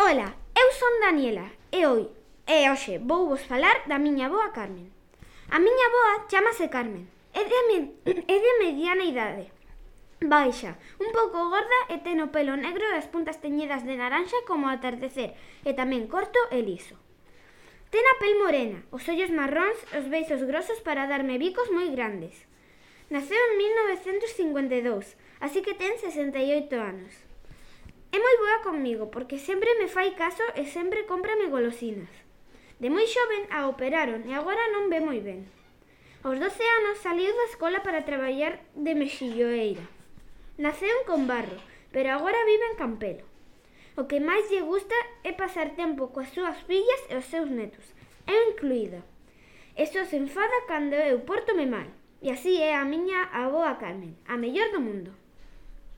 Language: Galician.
Ola, eu son Daniela e hoxe vou vos falar da miña avoa Carmen. A miña avoa chamase Carmen, é de mediana idade, baixa, un pouco gorda e ten o pelo negro e as puntas teñidas de naranxa como ao atardecer e tamén corto e liso. Ten a pel morena, os ollos marróns e os beizos grosos para darme bicos moi grandes. Naceu en 1952, así que ten 68 anos. É moi boa comigo porque sempre me fai caso e sempre cómprame golosinas. De moi xoven a operaron e agora non ve moi ben. Aos 12 anos saliu da escola para traballar de mexilloeira. Naceu en Combarro, pero agora vive en Campelo. O que máis lle gusta é pasar tempo coas súas fillas e os seus netos, eu incluída. E só se enfada cando eu pórtome mal. E así é a miña avoa Carmen, a mellor do mundo.